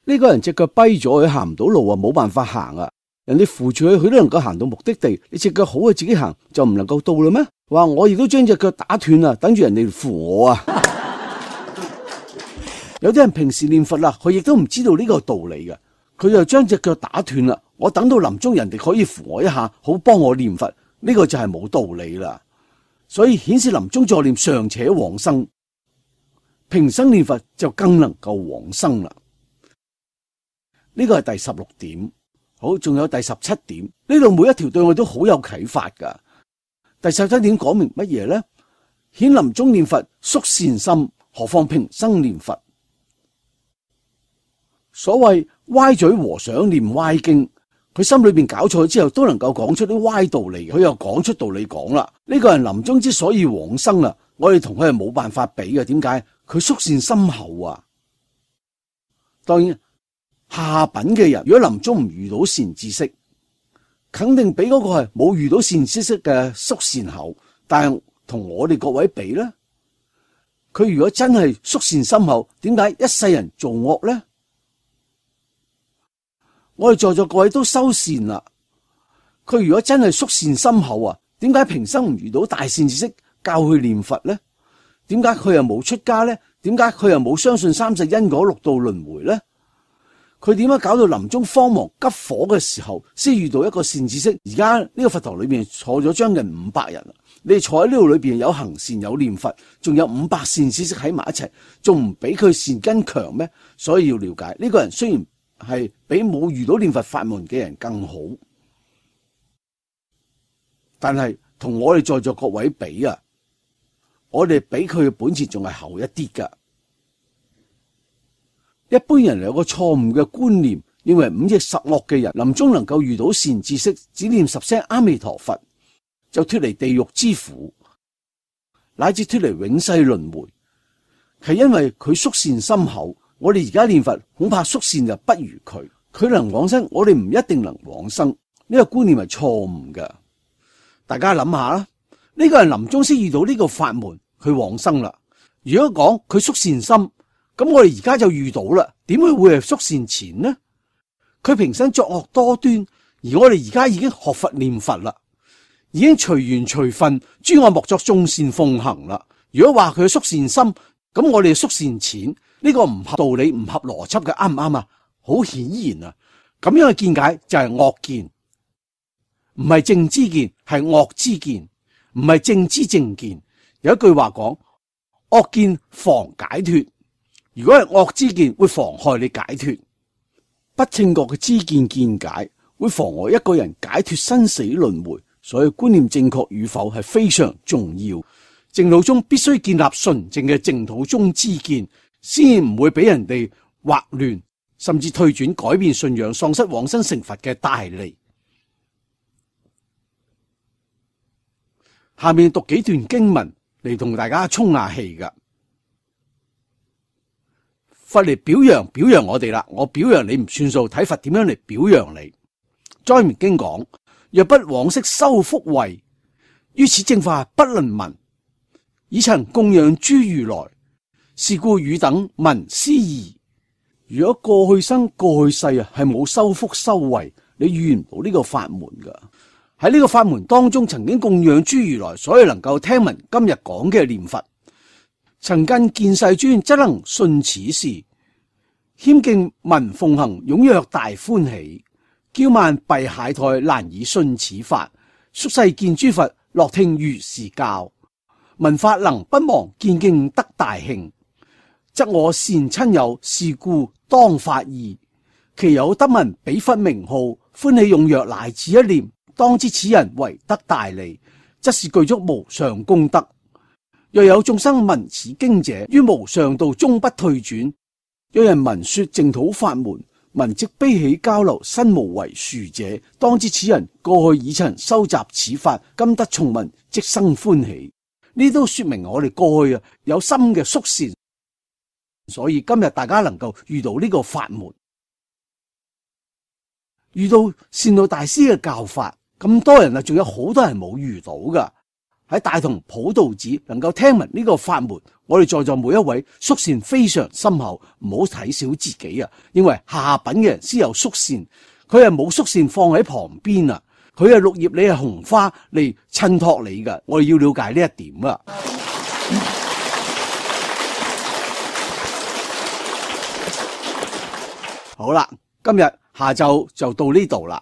A: 呢個人隻腳跛咗，佢行唔到路啊，冇辦法行啊。人哋扶住佢，佢都能夠行到目的地。你隻腳好啊，自己行就唔能夠到啦咩？話我亦都將隻腳打斷啊，等住人哋扶我啊。有啲人平時念佛啦，佢亦都唔知道呢個道理嘅，佢就將隻腳打斷啦。我等到臨終人哋可以扶我一下，好幫我念佛，呢個就係冇道理啦。所以顯示臨終助念尚且往生，平生念佛就更能夠往生啦。呢個係第16點。好，仲有第17點，呢度每一條對我都好有啟發噶。第17點講明乜嘢呢？顯臨終念佛宿善心，何況平生念佛？所謂歪嘴和尚念歪經，佢心裏邊搞錯之後，都能夠講出啲歪道理，佢又講出道理講啦。呢個人臨終之所以往生啊，我哋同佢係冇辦法比嘅。點解？佢宿善深厚啊。當然。下品嘅人，如果臨終唔遇到善知識，肯定比嗰個係冇遇到善知識嘅宿善厚。但係同我哋各位比咧，佢如果真係宿善深厚，點解一世人做惡咧？我哋在座各位都修善啦，佢如果真係宿善深厚啊，點解平生唔遇到大善知識教佢念佛咧？點解佢又冇出家咧？點解佢又冇相信三世因果六道輪迴咧？佢點解搞到臨終慌忙急火嘅時候，先遇到一個善知識？而家呢個佛堂裏邊坐咗將近500人，你哋坐喺呢度裏邊有行善有念佛，仲有500善知識喺埋一齊，仲唔比佢善根強咩？所以要了解呢個人雖然係比冇遇到念佛法門嘅人更好，但係同我哋在座各位比啊，我哋比佢嘅本錢仲係厚一啲噶。一般人有個錯誤嘅觀念，認為五逆十惡嘅人臨終能夠遇到善知識，只念10聲阿彌陀佛就脫離地獄之苦，乃至脫離永世輪迴，係因為佢宿善深厚。我哋而家念佛恐怕宿善就不如佢，佢能往生，我哋唔一定能往生。呢個觀念係錯誤嘅。大家諗下啦，呢個人臨終先遇到呢個法門，佢往生啦。如果講佢宿善深，咁我哋而家就遇到啦，點會係宿善淺呢？佢平生作惡多端，而我哋而家已經學佛念佛啦，已經隨緣隨分，諸惡莫作，眾善奉行啦。如果話佢縮善心，咁我哋縮善錢，呢個唔合道理、唔合邏輯嘅，啱唔啱啊？好顯然啊，咁樣嘅見解就係惡見，唔係正知見，係惡知見，唔係正知正見。有一句話講，惡見妨解脫，如果係惡知見，會妨害你解脫。不正確嘅知見見解會妨礙一個人解脫生死輪迴，所以觀念正確與否係非常重要。淨土宗必須建立純正嘅淨土宗知見，先唔會俾人哋惑亂，甚至退轉改變信仰，喪失往生成佛嘅大利。下面讀幾段經文嚟同大家充下氣噶。佛嚟表揚我哋啦，我表揚你唔算數，睇佛點樣嚟表揚你。莊嚴經講，若不往昔修福慧，於此正法不能聞。已曾供養諸如來，是故汝等聞斯義。如果過去生過去世啊係冇修福修慧，你遇唔到呢個法門噶。喺呢個法門當中曾經供養諸如來，所以能夠聽聞今日講嘅念佛。曾近見世尊，則能信此事，謙敬聞奉行，踴躍大歡喜。驕慢閉懈怠，難以信此法。宿世見諸佛，樂聽如是教。聞法能不忘，見敬得大慶。則我善親友，是故當發意。其有得聞彼佛名號，歡喜踴躍乃至一念，當知此人為得大利，則是具足無上功德。若有眾生聞此經者，於無上道終不退轉。有人聞說淨土法門，聞即悲喜交流，身無為殊者，當知此人過去已曾收集此法，今得重聞，即生歡喜。呢都說明我哋過去有心嘅宿善，所以今日大家能夠遇到呢個法門，遇到善導大師嘅教法，咁多人仲有好多人冇遇到噶。喺大同普度寺能夠聽聞呢個法門，我哋在座每一位宿善非常深厚，唔好睇小自己啊！因為下品嘅人先有宿善，佢係冇宿善放喺旁邊啊，佢係綠葉，你係紅花嚟襯托你噶，我哋要了解呢一點啊！好啦，今日下晝就到呢度啦。